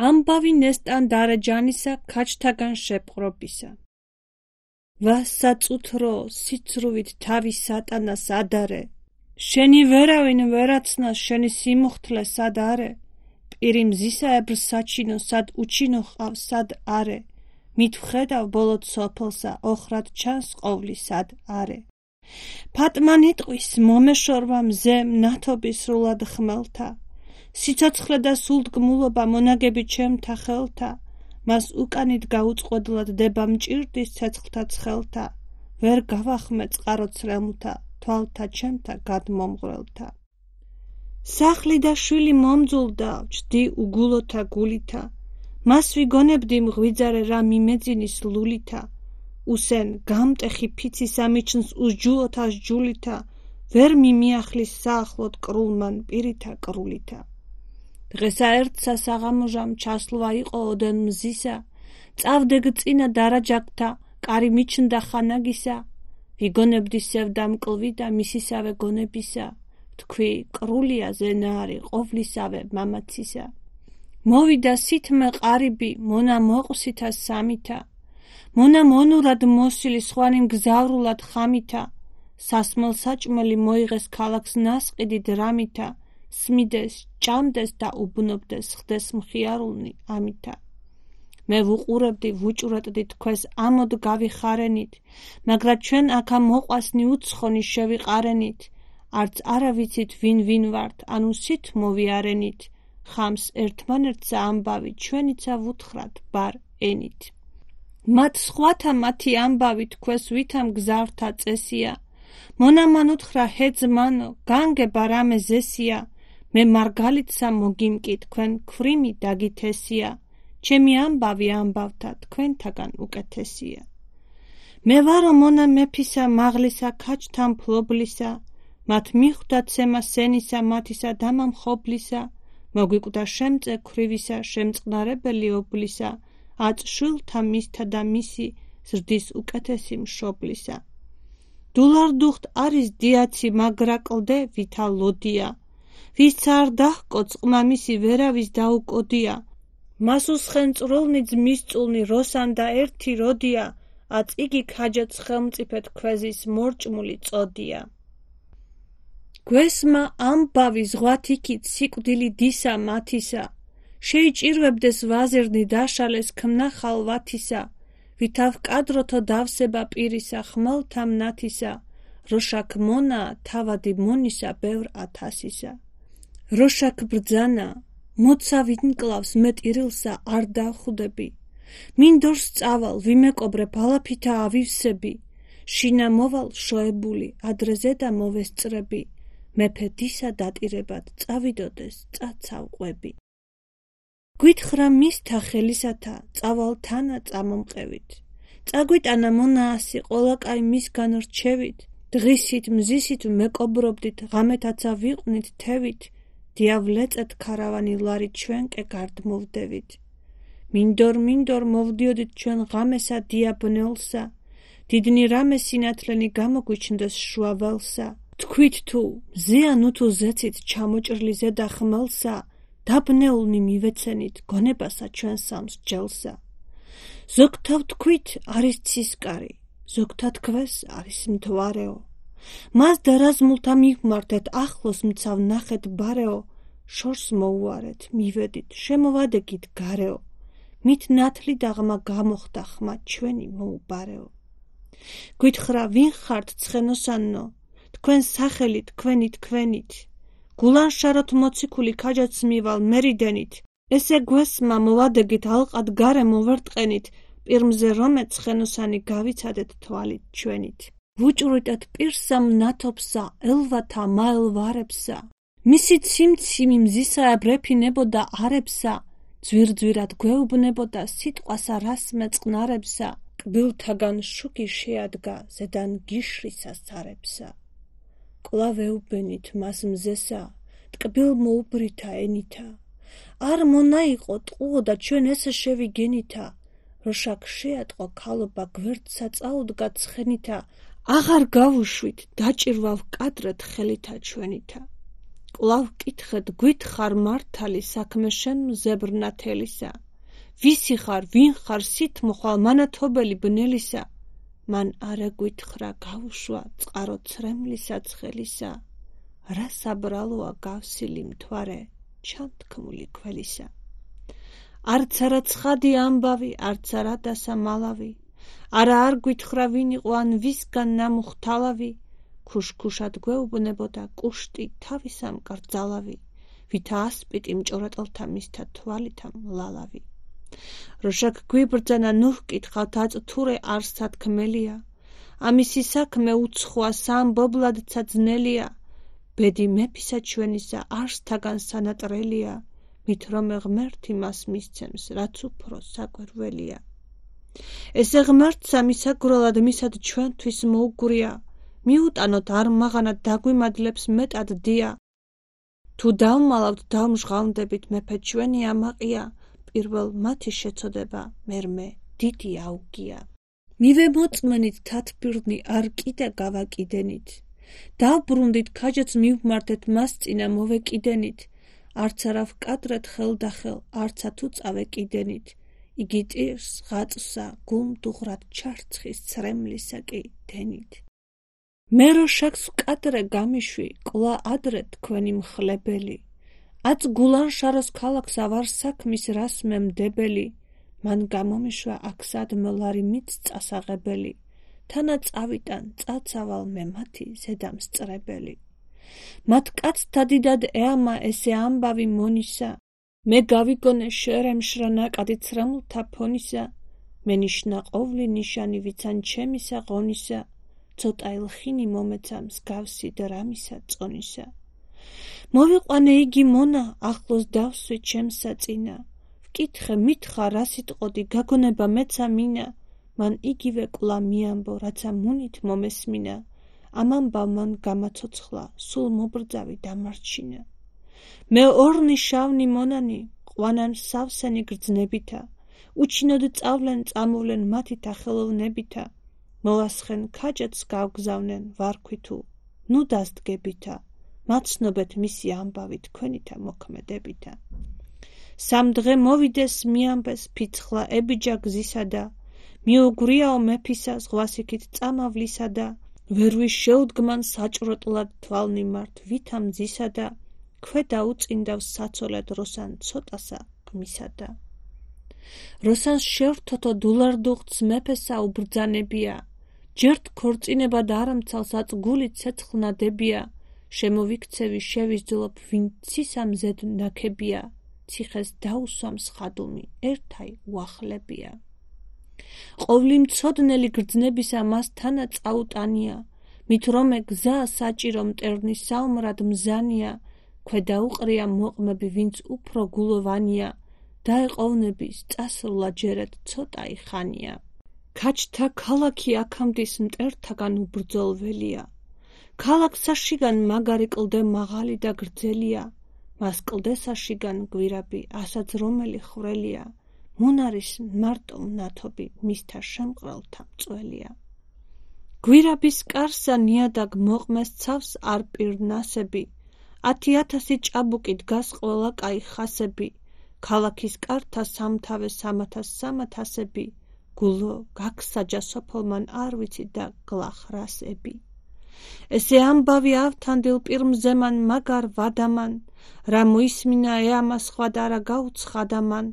ამბავი ნესტან დარეჯანისა ქაჩთაგან შეპყრობისა. ვასაწუთრო სიცრუვით თავი სატანას ადარე, შენი ვერავინ ვერაცნას შენი სიმუხთლე სად არე, პირი მზისაებრ საჩინო სად უჩინო ყავს სად არე, მით ვხედავ ბოლოთ სოფელსა ოხრად ჩანს ყოვლი სად არე. ფატმანი ტყვის მომეშორვა მზემ ნათობის სრულად ხმელთა, სიცოცხლე და სულდგმულობა მონაგები ჩემთა ხელთა, მას უკანით გაუწყვედლად დება მჭირდის ცეცხლთა ცხელთა, ვერ გავახმე წყარო ცრემლთა, თვალთა ჩემთა გადმომღვრელთა. სახლი და შვილი მომძულდა, ვჯდი უგულოთა გულითა, მას ვიგონებდი მღვიძარე რა მიმეძინის ლულითა, უსენ გამტეხი ფიცი სამიჩნს უსჯულოთას ჯულითა, ვერ მიმიახლის საახლოდ კრულმან პირითა კრულითა. დღესა ერთსა საღამოჟამ ჩასლვა იყო ოდენ მზისა, წავდე გწინა დარაჯაკთა, კარი მიჩნდა ხანაგისა, ვიგონებდი სევდა მკლვი და მისისავე გონებისა, თქვი კრულია ზენარი ყოვლისავე მამაცისა. მოვიდა სითმე ყარიბი, მონა მოყვსითა სამითა, მონა მონურად მოსილი სხვანი მგზავრულად ხამითა, სასმელ საჭმელი მოიღეს ქალაქს ნასყიდი დრამითა, სმიდეს, ჭამდეს და უბნობდეს ხდეს მხიარულნი ამითა. მე ვუყურებდი ვუჭვრეტდი თქვენს ამოდ გავიხარენით, მაგრამ ჩვენ აქა მოყვასნი უცხონი შევიყარენით, არც არა ვიცით ვინ ვართ, ანუ სით მოვიარენით, ხამს ერთმანერთსა ამბავი ჩვენიცა ვუთხრათ ბარ ენით. მათ სხვათა მათი ამბავი თქვენს ვითამ გზავრთა წესია, მონამან უთხრა ჰეძმანო, განგება რამე ზესია, მე მარგალიტსა მოგიმკი თქვენ ქვრიმი დაგითესია, ჩემი ამბავი ამბავთა თქვენთაგან უკეთესია. მე ვარო მონა მეფისა მაღლისა ქაჩთა მფლობლისა, მათ მიხვდა ცემა სენისა მათისა დამამხობლისა, მოგვიკვდა შემწე ქვრივისა შემწყნარებელი ობლისა, აწშვილთა მისთა და მისი ზრდის უკეთესი მშობლისა. დულარდუხტ არის დიაცი მაგრა კლდე ვითა ლოდია, ვის არ დაჰკო წყმა მისი ვერავის დაუკოდია, მას უსხენწრულნი ძმისწულნი როსან და ერთი როდია, აც იგი ქაჯად ხელმწიფედ ქვეზის მორჭმული წოდია. გვესმა ამბავი ზღვათ იქით სიკვდილი დისა მათისა, შეიჭირვებდეს ვაზირნი დაშალეს ქმნა ხალვათისა, ვითავ კადროთო დავსება პირისა ხმელთა მნათისა, როშაქ მონა თავადი მონისა ბევრ ათასისა. როშაქ ბრძანა, მოცა ვინკლავს მე ტირილსა არ დავხვდები, მინდორს წავალ ვიმეკობრე ბალაფითა ავივსები, შინა მოვალ შოებული ადრეზე და მოვესწრები, მეფე დისა დატირებად წავიდოდეს წაცავ ყვები. გვითხრა მისთა ხელისათა, წავალ თანა წამომყევით, წაგვიტანა მონაასი ყოლაკაი მისგან რჩევით, დღისით მზისით მეკობრობდით, ღამეთაცა ვიყვნით თევით, დიავლეწეთ ქარავანი ლარი ჩვენკე გარდმოვდევით. მინდორ მოვდიოდით ჩვენ ღამესა დიაბნელსა, დიდნი რამე სინათლენი გამოგვიჩნდეს შუაველსა, თქვით თუ მზეა ნუთუ ზეცით ჩამოჭრილი ზედა ხმელსა, დაბნეულნი მივეცენით გონებასა ჩვენ სამს ჯელსა. ზოგთა ვთქვით არის ცისკარი, ზოგთა თქვეს არის მთვარეო, მას დარაზმულთა მივმართეთ ახლოს მცავ ნახეთ ბარეო, შორს მოუარეთ მივედით შემოვადეგით გარეო, მით ნათლი დაღმა გამოხდა ხმა ჩვენი მოუბარეო. გვითხრა ვინ ხართ ცხენოსანო, თქვენ სახელი თქვენით, გულანშაროთ მოციქული ქაჯაც მივალ მერიდენით, ესე გვესმა მოვადეგით ალყად გარე მოვერტყენით, პირმზე რომე ცხენოსანი გავიცადეთ თვალით ჩვენით. ვუჭვრიტეთ პირსა მნათობსა, ელვათა მაელვარებსა, მისი ციმციმი მზისაებ რეფინებოდა არებსა, ძვირძვირად გვეუბნებოდა სიტყვასა რას მეწყნარებსა, კბილთაგან შუქი შეადგა ზედან გიშრისა სარებსა. კვლავ ეუბენით მას მზესა, ტკბილ მოუბრითა ენითა, არ მონაიყო ტყუო და ჩვენ ესე შევიგენითა, როშაქ შეატყო ქალობა გვერდსა წაუდგა ცხენითა, აღარ გავუშვით, დაჭირვა ვკადრეთ ხელითა ჩვენითა. კვლავ ვკითხეთ, გვითხრ მართალი საქმე შენ მზებრნათელისა. ვისი ხარ, ვინ ხარ სით მოხვალ მანათობელი ბნელისა? მან არა გვითხრა გავუშვა წყარო ცრემლისა ცხელისა. რა საბრალოა გავსილი მთვარე ჩანთქმული კველისა. არც არა ცხადი ამბავი, არც არა დასამალავი. არა არ გვითხრა ვინ იყო ან ვისგან ნამუხთალავი. ქუშქუშად გვეუბნებოდა კუშტი თავისამ კრძალავი. ვითა ასპიტი მჭორატელთა მისთა თვალითა მლალავი. როშაკ გვიბრძანა ნუ ჰკითხავთ აწთურე არ სათქმელია. ამისი საქმე უცხოა სამბობლადცა ძნელია. ბედი მეფისა ჩვენისა არსთაგან სანატრელია. მით რომე ღმერთი მას მისცემს, რაც უფრო საკვირველია. ესე ღმერთსა მისაგროლად მისად ჩვენთვის მოუგვრია. მიუტანოთ არ მაღანად დაგვიმადლებს მეტად დია. თუ დავმალავთ დავმჟღავნდებით მეფე ჩვენი ამაყია. პირველ მათი შეწოდება მერმე დიდი აუგია. მივე მოწმენით თათბირნი არ კიდე გავაკიდენით. დავბრუნდით ქაჯაც მივმართეთ მას წინა მოვეკიდენით. არც არა ვკადრეთ ხელდახელ, არცა თუ წავეკიდენით. იგი ტირს ღაწვსა გულმდუღრად ჩარცხის ცრემლისა კი დენით. მე როშაკს ვკადრე გამიშვი, კვლავ ადრე თქვენი მხლებელი. აც გულანშაროს ქალაქს ავარ საქმის რას მემდებელი. მან გამომიშვა აქ სადმლარი მით წასაღებელი. თანა წავიტან წაცავალ მე მათი ზედამსწრებელი. მათ კაცთა დიდად ეამა ესე ამბავი მონისა. მე გავიგონე შერემშრა ნაკადი ცრემლთა ფონისა. მე ნიშნა ყოვლი ნიშანი ვიცან ჩემისა ღონისა. ცოტა ილხინი მომეცა მსგავსი დრამისა წონისა. მოვიყვანე იგი მონა, ახლოს დავსვი ჩემსა წინა. ვკითხე მითხრა რა სიტყოდი, გაგონება მეცა მინა. მან იგივე კვლავ მიამბო, რაცა მუნით მომესმინა. ამ ამბავ მან გამაცოცხლა, სულ მობრძავი დამარჩინა. მე ორნი შავნი მონანი, ყვანან სავსენი გრძნებითა. უჩინოდ წავლენ წამოვლენ მათითა ხელოვნებითა. მოვასხენ ქაჯაც გავგზავნენ ვარქვითუ, ნუ დასდგებითა. მაცნობეთ მისი ამბავი თქვენითა მოქმედებითა. სამ დღე მოვიდეს მიამბეს ფიცხლა ებიჯა გზისადა. მიუგვრიაო მეფისა ზღვასიქით წამავლისადა. ვერ ვიშეუდგმან საჭროტლად თვალნიმართ ვითა მძისადა. ქვედა უწინდავს საცოლად როსან ცოტასა გმისადა. როსანს შევრთოთო დულარდუღწ მეფესა უბრძანებია. ჯერთ ქორწინებად არამცალს აწ გული ცეცხლნადებია. შემოვიქცევი შევისძლობ ვინ ცისამზედ ნაქებია. ციხეს დაუსვამს ხადუმი ერთაი უახლებია. ყოვლი მცოდნელი გრძნებისა მას თანა წაუტანია. მით რომე გზა საჭირო მტერნის საომრად მზანია. ქვედა უყრია მოყმები ვინც უფრო გულოვანია. დაეყოვნების წასვლა ჯერეთ ცოტაი ხანია. ქაჯთა ქალაქი აქამდის მტერთაგან უბრძოლველია. ქალაქსაშიგან მაგარი კლდე მაღალი და გრძელია. მას კლდესაშიგან გვირაბი ასაც რომელი ხრელია. მონარის მარტო მნათობი მისთა შემყრელთა მწველია. გვირაბის კარსა ნიადაგ მოყმეს ცავს არ პირნასები. 10,000 ჭაბუკი დგას ყველა კაი ხასები. ქალაქის კართა სამთავე 300-300-ები. გულო გაგსაჯა სოფელმან არ ვიცი და გლახრასები. ესე ამბავი ავთანდილ პირმზემან მაგარ ვადამან. რა მოისმინა ეამა სხვა და რა გაუცხადამან.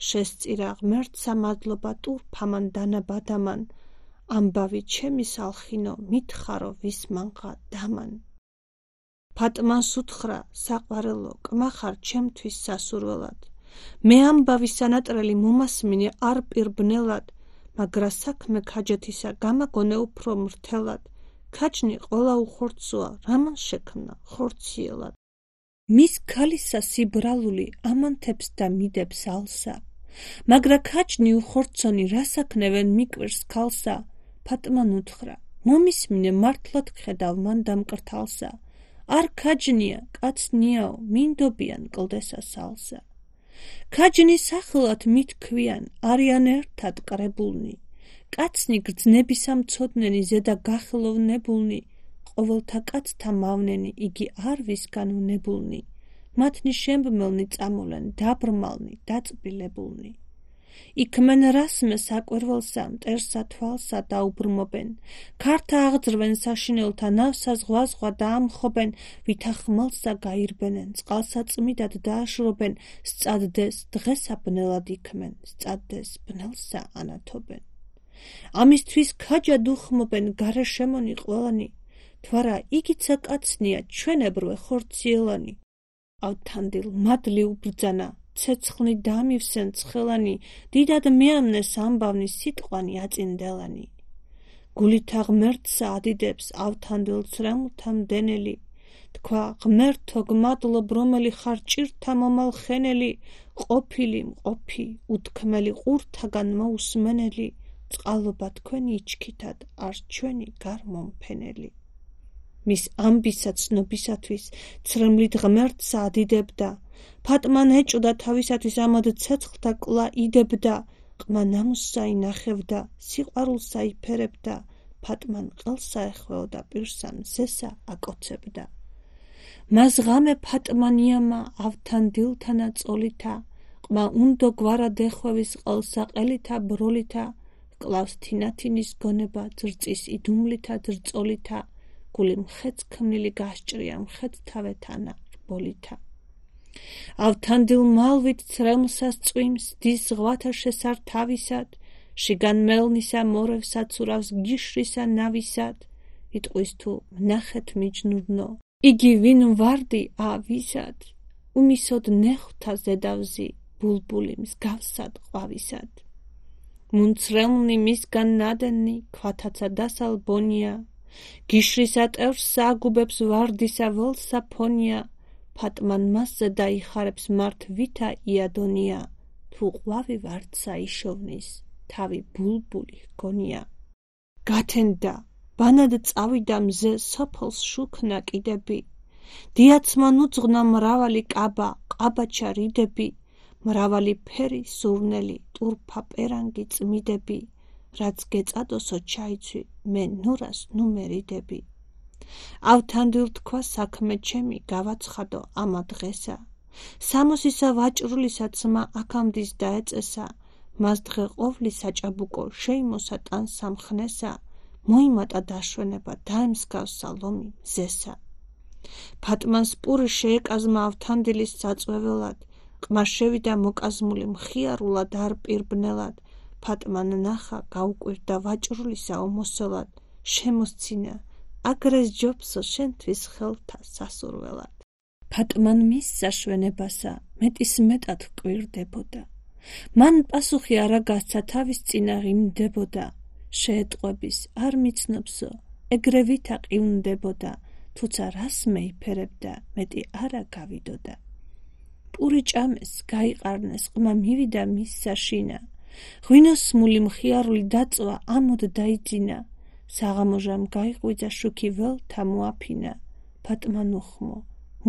შესწირა ღმერთსა მადლობა ტურფამან დანაბადამან. ამბავი ჩემი სალხინო მითხარო ვის მანღა დამან. ფატმანს უთხრა საყვარელო კმახარ ჩემთვის სასურველად. მე ამბავი სანატრელი მომასმინე არ პირბნელად. მაგრა საქმე ქაჯეთისა გამაგონე უფრო მრთელად. ქაჯნი ყველა უხორცოა რამან შექმნა ხორციელად. მის ქალისა სიბრალული ამანთებს და მიდებს ალსა. მაგრა ქაჯნი უხორცონი რასაქნევენ მიკვირს ქალსა. ფატმან უთხრა მომისმინე მართლად გხედავ მან დამკრთალსა. არ ქაჯნია კაცნიაო მინდობიან კლდესა სალსა. ქაჯნის სახელად მithქვიან არიან ერთად კრებულნი. კაცნი გრძნებისა მცოდნენი ზედა გახელოვნებულნი. ყოველთა კაცთა მავნენი, იგი არ ვისგან ვნებულნი, მათნი შემბმელნი წამულენ, დაბრმალნი, დაწბილებულნი. იქმენ რასმე საკვირველსა, მტერსა თვალსა დაუბრმობენ, ქართა აღძრვენ საშინელთა ნავსა ზღვა დაამხობენ, ვითა ხმელსა გაირბენენ, წყალსა წმიდად დააშრობენ, სწადდეს დღესა ბნელად იქმენ, სწადდეს ბნელსა ანათობენ. ამისთვის ქაჯად უხმობენ გარეშემონი ყველანი, თვარა იგიცა კაცნია ჩვენებრვე ხორციელანი. ავთანდილ მადლი უბრძანა, ცეცხლნი დამივსენ ცხელანი, დიდად მეამნეს ამბავნი სიტყვანი აწინდელანი. გულითა ღმერთსა ადიდებს ავთანდილ ცრემლთა მდენელი, თქვა ღმერთო გმადლობ რომელი ხარ ჭირთა მომალხენელი, ყოფილი მყოფი, უთქმელი ყურთაგან მოусმენელი, წყალობა თქვენი იჩქითად, არ ჩვენი გარმომფენელი. მის ამბისა ცნობისათვის ცრემლით ღმერთსა ადიდებდა, ფატმან ეჭვდა თავისათვის ამოდ ცეცხლთა კლა იდებდა, ყმა ნამუსსა ინახევდა, სიყვარულსა იფერებდა, ფატმან ყელსა ეხვეოდა, პირსა მზესა აკოცებდა. მას ღამე ფატმანიამა ავთანდილთანა წოლითა, ყმა უნდო გვარად ეხვევის ყელსა ყელითა ბროლითა, კლავს თინათინის გონება ძრწის იდუმლითა ძრწოლითა, გული მხეც ქმნილი გასჭრია მხეც თავეთანა რბოლითა. ავთანდილ მალვით ცრემლსას წვიმს, დის ზღვათა შესარ თავისად, შიგან მელნისა მორევსა ცურავს გიშრისა ნავისად, იტყვის თუ ვნახეთ მიჯნურნო, იგი ვინ ვარდი ავისად, უმისოდ ნეხვთა ზედავზი, ბულბული მსგავსად ყვავისად. მუნცრემლნი მისგან ნადენი, ქვათაცა დასალბონია, გიშრისა ტერს აგუბებს ვარდისა ველსა ფონია, ფატმან მასზე დაიხარებს მართ ვითა იადონია, თუ ყვავი ვარდსა იშოვნის, თავი ბულბული ჰგონია. გათენდა, ბანად წავიდა მზე სოფელს შუქნა კიდები, დიაცმან უძღვნა მრავალი კაბა, ყაბაჩა რიდები, მრავალი ფერი სურნელი, ტურფა პერანგი წმიდები, რაც გეწადოსო ჩაიცვი, მე ნურას ნუ მერიდები. ავთანდილ თქვა საქმე ჩემი გავაცხადო ამა დღესა, სამოსისა ვაჭრულისა ძმა აქამდის დაეწესა, მას დღე ყოვლი საჭაბუკო შეიმოსა ტან სამხნესა, მოიმატა დაშვენება დაემსგავსა ლომი მზესა. ფატმანს პური შეეკაზმა ავთანდილის საწვეველად, ყმა შევიდა მოკაზმული მხიარულად არ პირბნელად, ფატმან ნახა გაუკვირდა ვაჭრულისა ომოსელად, შემოსცინა, აგრეს ჯობსო შენთვის ხელთა სასურველად. ფატმან მის საშვენებასა მეტის მეტად კვირდებოდა, მან პასუხი არა გასცა თავის წინა ღიმდებოდა, შეეტყვების არ მიცნობსო, ეგრე ვითა ყივნდებოდა, თუცა რას მეიფერებდა, მეტი არა გავიდოდა. პური ჭამეს, გაიყარნეს, ყმა მივიდა მის საშინა, ღვინოსმული მხიარული დაწვა ამოდ დაიძინა, საღამოჟამ გაიყვიძა შუქი ველთა მოაფინა, ფატმან უხმო,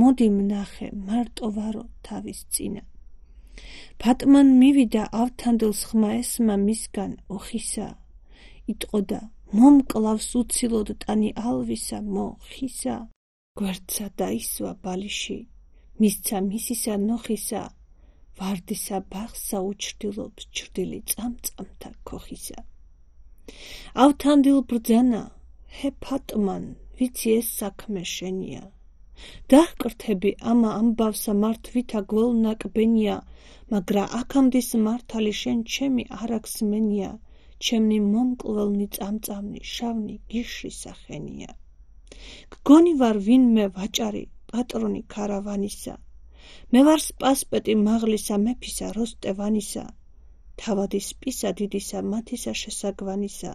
მოდი ვნახე მარტო ვარო თავის წინა. ფატმან მივიდა ავთანდილს ხმა ესმა მისგან ოხისა, იტყოდა მომკლავს უცილოდ ტანი ალვისა მოხისა, გვერდსა დაისვა ბალიში, მისცა მისისა ნოხისა, ვარდისა ბაღსა უჩრდილობს ჩრდილი წამწამთა ქოხისა. ავთანდილ ბრძანა, ჰე ფატმან, ვიცი ეს საქმე შენია, დაჰკრთები ამა ამბავსა მართ ვითა გველნაკბენია, მაგრა აქამდის მართალი შენ ჩემი არაგსმენია, ჩემნი მომკლველნი წამწამნი შავნი გიშრი სახენია. გგონი ვარ ვინმე ვაჭარი, პატრონი ქარავანისა, მე ვარ სპასპეტი მაღლისა მეფისა როსტევანისა, თავადი სპისა დიდისა მათისა შესაგვანისა,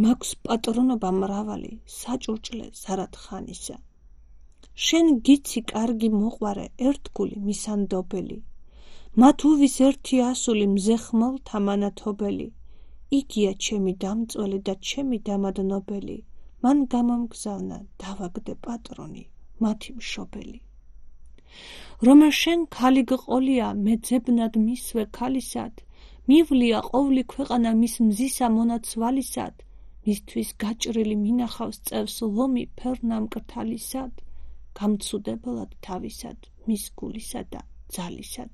მაქვს პატრონობა მრავალი საჭურჭლე ზარათხანისა. შენ გიცი კარგი მოყვარე ერთგული მისანდობელი, მათ უვის ერთი ასული მზე ხმელთა მანათობელი, იგია ჩემი დამწველი და ჩემი დამადნობელი, მან გამომგზავნა დავაგდე პატრონი მათი მშობელი. რომა შენ ქალი გყოლია მე ძებნად მისვე ქალისად, მივლია ყოვლი ქვეყანა მის მზისა მონაცვალისად, მისთვის გაჭრილი მინახავს წევს ლომი ფერნამკრთალისად, გამცუდებელად თავისად, მის გულისა და ძალისად.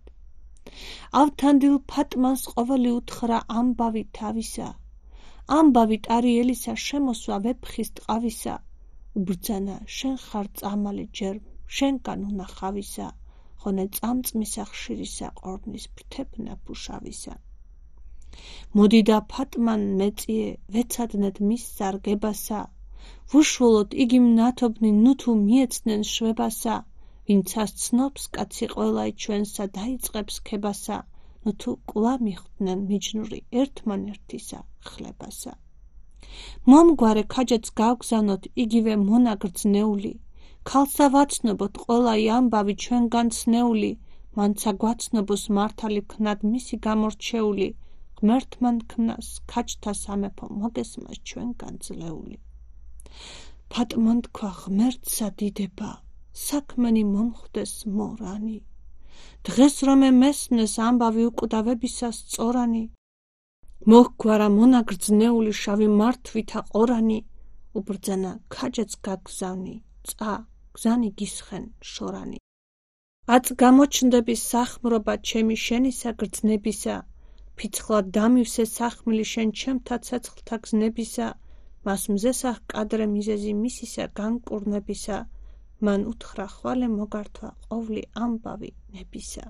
ავთანდილ ფატმანს ყოველი უთხრა ამბავი თავისა, ამბავი ტარიელისა შემოსვა ვეფხის ტყავისა, უბრძანა შენ ხარ წამალი ჯერ შენგან უნახავისა, ხონე წამწმისა ხშირისა ყორნის ფრთებნა ფუშავისა. მოდიდა ფატმან მეწიე ვეცადნეთ მის სარგებასა, ვუშველოთ იგი მნათობნი ნუთუ მიეცნენ შვებასა, ვინცას ცნობს კაცი ყველაი ჩვენსა დაიწყებს ქებასა, ნუთუ კვლავ მიხვდნენ მიჯნური ერთმანერთისა ხლებასა. მომგვარე ქაჯაც გავგზავნოთ იგივე მონაგრძნეული, ქალსა ვაცნობოთ ყველაი ამბავი ჩვენგან ცნეული, მანცა გვაცნობოს მართალი ქნად მისი გამორჩეული, ღმერთმან ქმნას ქაჯთა სამეფო მოგესმას ჩვენგან ძლეული. ფატმან თქვა ღმერთსა დიდება, საქმენი მომხვდეს მორანი, დღეს რომე მესმნეს ამბავი უკვდავებისა სწორანი, მოჰგვარა მონაგრძნეული შავი მართვითა ყორანი, უბრძანა ქაჯაც გაგზავნი, წა გზანი გისხენ შორანი. აწ გამოჩნდები სახმრობა ჩემი შენისა გრძნებისა, ფიცხლად დამივსე სახმილი შენ ჩემთა ცეცხლთა გზნებისა, მას მზესა ჰკადრე მიზეზი მისისა განკურნებისა, მან უთხრა ხვალე მოგართვა ყოვლი ამბავი ნებისა.